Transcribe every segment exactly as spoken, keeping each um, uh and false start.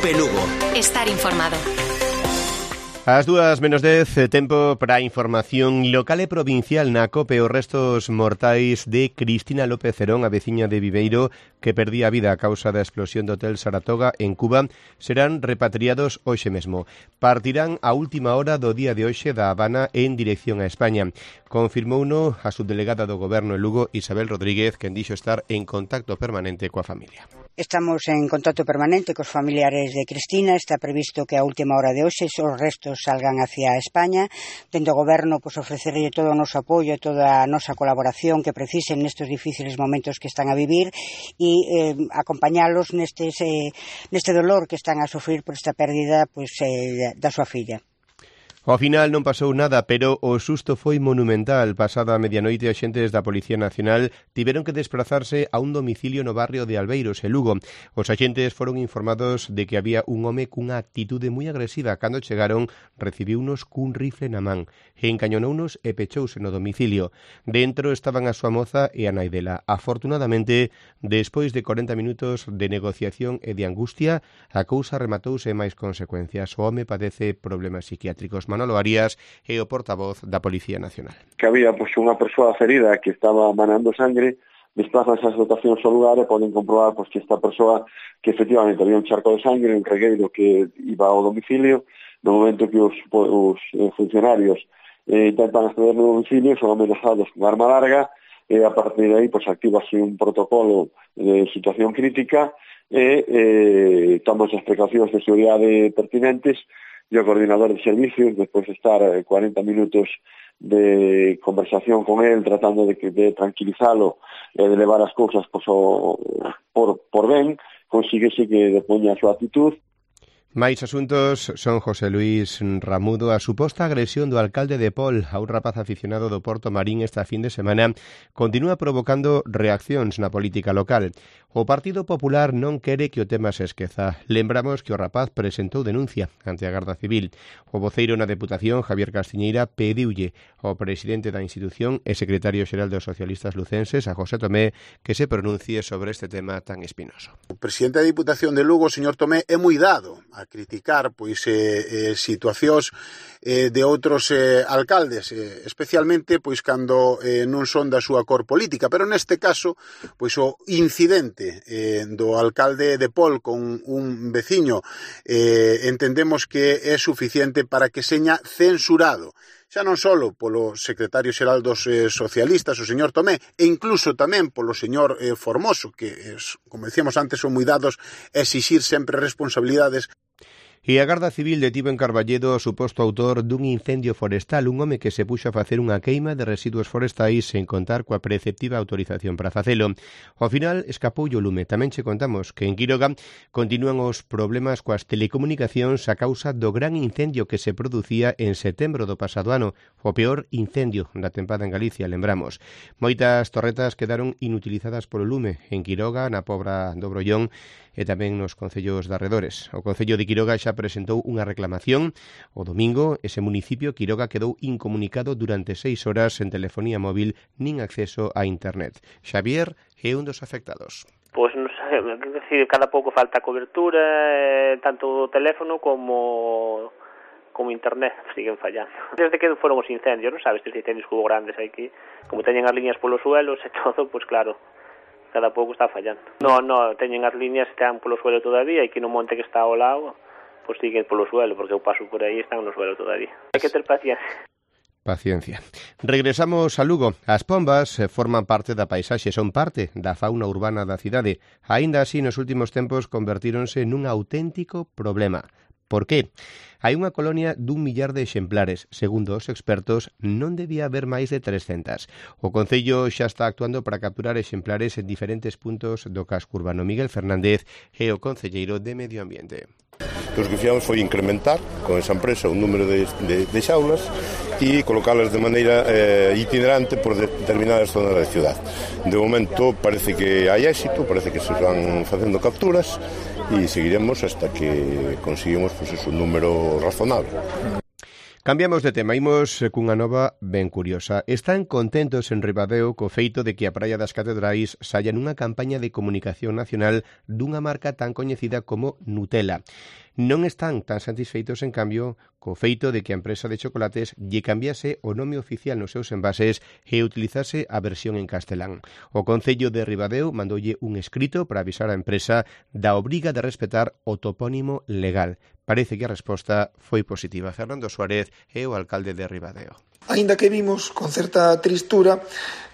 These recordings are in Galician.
COPE Lugo. Estar informado. As dúas menos dez, tempo para a información local e provincial na COPE. Os restos mortais de Cristina López Cerón, a veciña de Viveiro, que perdía a vida a causa da explosión do Hotel Saratoga en Cuba, serán repatriados hoxe mesmo. Partirán a última hora do día de hoxe da Habana en dirección a España. Confirmouno a subdelegada do Goberno en Lugo, Isabel Rodríguez, quen dixo estar en contacto permanente coa familia. Estamos en contacto permanente cos familiares de Cristina. Está previsto que a última hora de hoxe os restos salgan hacia España. Dentro do Goberno, pues, ofrecerlle todo o noso apoio e toda a nosa colaboración que precisen nestes difíciles momentos que están a vivir e eh, acompañalos nestes, eh, neste dolor que están a sufrir por esta pérdida, pues, eh, da súa filla. Ao final non pasou nada, pero o susto foi monumental. Pasada a medianoite, axentes da Policía Nacional tiveron que desplazarse a un domicilio no barrio de Albeiros, en Lugo. Os axentes foron informados de que había un home cunha actitude moi agresiva. Cando chegaron, recibiunos cun rifle na man, encañonounos e pechouse no domicilio. Dentro estaban a súa moza e a nai dela. Afortunadamente, despois de corenta minutos de negociación e de angustia, a cousa rematouse máis consecuencias. O home padece problemas psiquiátricos. Manolo Arias é o portavoz da Policía Nacional. Que había pois, unha persoa ferida que estaba manando sangre, desplazan as dotacións ao lugar e poden comprobar pois, que esta persoa, que efectivamente había un charco de sangre, un regueiro que iba ao domicilio. No momento que os, os funcionarios eh, intentan acceder no domicilio, son amenazados con arma larga, e a partir de aí pois, activase un protocolo de situación crítica e eh, toman as precaucións de seguridade pertinentes. E o coordinador de servicios, despois de estar cuarenta minutos de conversación con él, tratando de, de tranquilizalo e de levar as cousas pues, o, por, por ben, consíguese que depoña a súa actitud. Máis asuntos son José Luís Ramudo. A suposta agresión do alcalde de Pol a un rapaz aficionado do Porto Marín esta fin de semana continúa provocando reaccións na política local. O Partido Popular non quere que o tema se esqueza. Lembramos que o rapaz presentou denuncia ante a Garda Civil. O voceiro na Deputación, Javier Castiñeira, pediulle ao presidente da institución e secretario xeral dos socialistas lucenses, a José Tomé, que se pronuncie sobre este tema tan espinoso. O presidente da Diputación de Lugo, señor Tomé, é moi dado a criticar pois eh, eh, situacións eh, de outros eh, alcaldes, eh, especialmente pois cando eh, non son da súa cor política, pero neste caso pois o incidente eh, do alcalde de Pol con un veciño eh, entendemos que é suficiente para que seña censurado, xa non só polo secretario xeral dos eh, socialistas, o señor Tomé, e incluso tamén polo señor eh, Formoso, que, es, como decíamos antes, son moi dados a exixir sempre responsabilidades. E a Garda Civil detivo en Carballedo o suposto autor dun incendio forestal, un home que se puxo a facer unha queima de residuos forestais sen contar coa preceptiva autorización para facelo. Ao final escapou o lume. Tamén che contamos que en Quiroga continúan os problemas coas telecomunicacións a causa do gran incendio que se producía en setembro do pasado ano, o peor incendio da tempada en Galicia, lembramos. Moitas torretas quedaron inutilizadas polo lume en Quiroga, na Pobra do Brollón e tamén nos concellos de arredores. O Concello de Quiroga xa presentou unha reclamación. O domingo, ese municipio, Quiroga, quedou incomunicado durante seis horas en telefonía móvil nin acceso a internet. Xavier é un dos afectados. Pois non sei, decir, cada pouco falta cobertura, eh, tanto o teléfono como como internet siguen fallando. Desde que foron os incendios, non sabes, estes incendios que hubo grandes aquí, como teñen as liñas polos suelos e todo, pois claro, cada pouco está fallando. No, no, teñen as liñas, están polo suelo todavía, e que no monte que está ao lado, pois siguen polo suelo, porque eu paso por aí e están no suelo todavía. Hai que ter paciencia. Paciencia. Regresamos a Lugo. As pombas forman parte da paisaxe, son parte da fauna urbana da cidade. Aínda así, nos últimos tempos convertíronse nun auténtico problema. Por qué? Hai unha colonia dun millar de exemplares. Segundo os expertos, non debía haber máis de trescentas. O Concello xa está actuando para capturar exemplares en diferentes puntos do casco urbano. Miguel Fernández é o concelleiro de Medio Ambiente. O que fixamos foi incrementar con esa empresa un número de, de, de xaulas e colocalas de maneira eh, itinerante por determinadas zonas da ciudad. De momento parece que hai éxito, parece que se van facendo capturas e seguiremos hasta que conseguimos pues, un número razonable. Cambiamos de tema, imos cunha nova ben curiosa. Están contentos en Ribadeo co feito de que a Praia das Catedrais saia nunha campaña de comunicación nacional dunha marca tan coñecida como Nutella. Non están tan satisfeitos, en cambio, co feito de que a empresa de chocolates lle cambiase o nome oficial nos seus envases e utilizase a versión en castelán. O Concello de Ribadeo mandoulle un escrito para avisar a empresa da obriga de respetar o topónimo legal. Parece que a resposta foi positiva. Fernando Suárez é o alcalde de Ribadeo. Aínda que vimos con certa tristura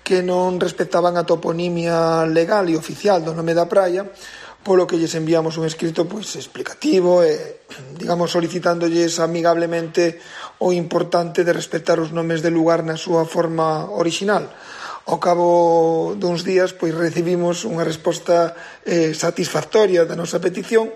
que non respetaban a toponimia legal e oficial do nome da praia, polo que lles enviamos un escrito pois explicativo e, digamos, solicitándoles amigablemente o importante de respetar os nomes de lugar na súa forma orixinal. Ao cabo duns días, pois recibimos unha resposta eh, satisfactoria da nosa petición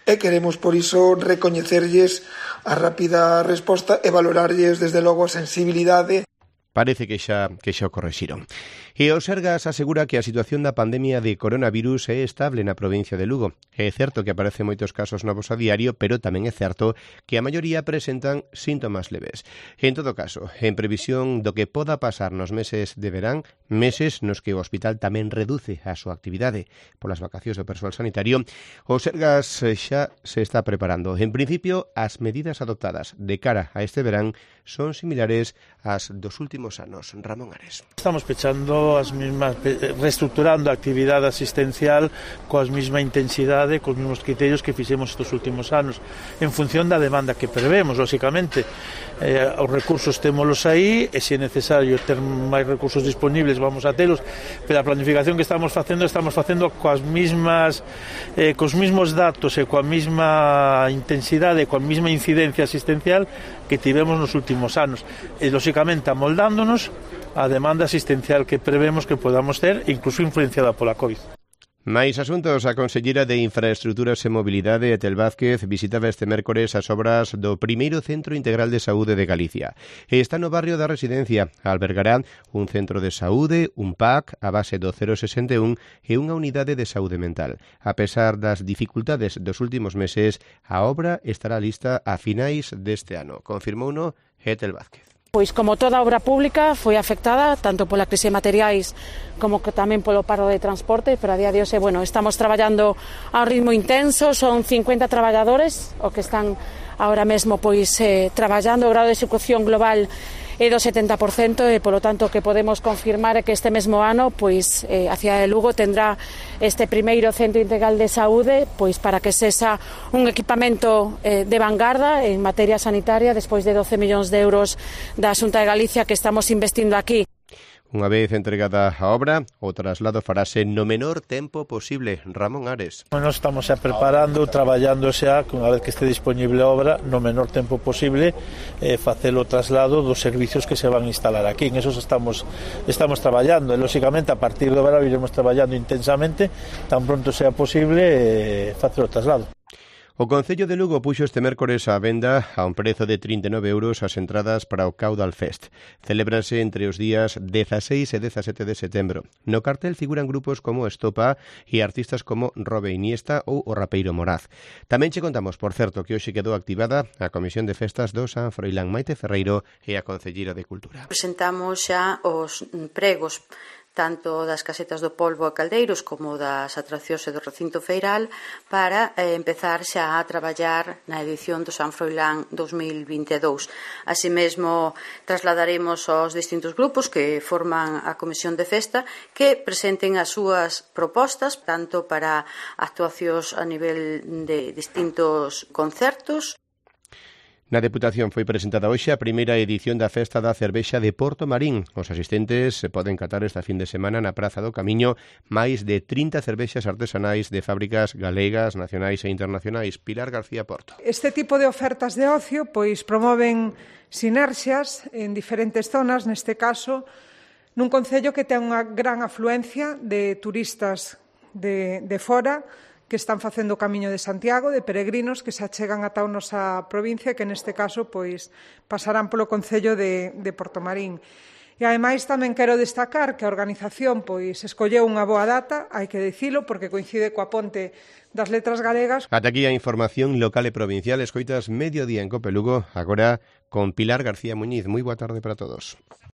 e queremos, por iso, recoñecerlles a rápida resposta e valorarlles, desde logo, a sensibilidade. Parece que xa, que xa o correxiron. E o Sergas asegura que a situación da pandemia de coronavirus é estable na provincia de Lugo. É certo que aparecen moitos casos novos a diario, pero tamén é certo que a maioría presentan síntomas leves. En todo caso, en previsión do que poda pasar nos meses de verán, meses nos que o hospital tamén reduce a súa actividade polas vacacións do persoal sanitario, o Sergas xa se está preparando. En principio, as medidas adoptadas de cara a este verán son similares ás dos últimos anos. Ramón Ares. Estamos pechando as mismas, reestructurando a actividade asistencial coas mesma intensidade, cos mesmos criterios que fixemos estes últimos anos, en función da demanda que prevemos, lóxicamente. Eh, os recursos témolos aí, e se é necesario ter máis recursos disponibles vamos a telos, pero a planificación que estamos facendo, estamos facendo coas mismas, eh, cos mismos datos e coa mesma intensidade, coa mesma incidencia asistencial que tivemos nos últimos anos, e lóxicamente amoldándonos a demanda asistencial que prevemos que podamos ter, incluso influenciada pola COVID. Mais asuntos, a Conselleira de Infraestruturas e Mobilidade, Etel Vázquez, visitaba este mércores as obras do primeiro Centro Integral de Saúde de Galicia. E está no barrio da Residencia. Albergará un centro de saúde, un P A C a base do cero sesenta e un e unha unidade de saúde mental. A pesar das dificultades dos últimos meses, a obra estará lista a finais deste ano. Confirmouno Etel Vázquez. Pois como toda obra pública foi afectada tanto pola crise de materiais como que tamén polo paro de transporte, pero a día de hoxe, bueno, estamos traballando a un ritmo intenso, son cincuenta traballadores o que están ahora mesmo pois eh, traballando, o grado de execución global é do setenta por cento e, polo tanto, que podemos confirmar é que este mesmo ano, pois, eh, a cidade de Lugo tendrá este primeiro Centro Integral de Saúde, pois, para que sexa un equipamento eh, de vanguarda en materia sanitaria, despois de doce millóns de euros da Xunta de Galicia que estamos investindo aquí. Unha vez entregada a obra, o traslado farase no menor tempo posible. Ramón Ares. Bueno, estamos xa preparando, traballando xa, unha vez que este disponible a obra, no menor tempo posible, eh, facer o traslado dos servicios que se van a instalar aquí. En eso estamos, estamos traballando. E, lóxicamente, a partir do verano iremos traballando intensamente, tan pronto sea posible, eh, facer o traslado. O Concello de Lugo puxo este mércores á venda a un prezo de trinta e nove euros as entradas para o Caudal Fest. Celébranse entre os días dezaseis e dezasete de setembro. No cartel figuran grupos como Estopa e artistas como Robe Iniesta ou o rapeiro Moraz. Tamén che contamos, por certo, que hoxe quedou activada a Comisión de Festas do San Froilán. Maite Ferreiro e a Concelleira de Cultura. Presentamos xa os pregos tanto das casetas do Polvo e Caldeiros como das atraccións e do recinto feiral para eh, empezar xa a traballar na edición do San Froilán dos mil vinte e dous. Así mesmo trasladaremos aos distintos grupos que forman a Comisión de Festa que presenten as súas propostas tanto para actuacións a nivel de distintos concertos. Na Deputación foi presentada hoxe a primeira edición da Festa da Cervexa de Porto Marín. Os asistentes se poden catar esta fin de semana na Praza do Camiño máis de trinta cervexas artesanais de fábricas galegas, nacionais e internacionais. Pilar García Porto. Este tipo de ofertas de ocio pois promoven sinerxias en diferentes zonas, neste caso, nun concello que ten unha gran afluencia de turistas de, de fora, que están facendo o Camiño de Santiago, de peregrinos que se achegan ata a nosa provincia, que neste caso pois pasarán polo concello de, de Portomarín. E ademais tamén quero destacar que a organización pois escolleu unha boa data, hai que dicilo, porque coincide coa ponte das letras galegas. Ata aquí a información local e provincial. Escoitas Mediodía en Cope Lugo, agora con Pilar García Muñiz. Moi boa tarde para todos.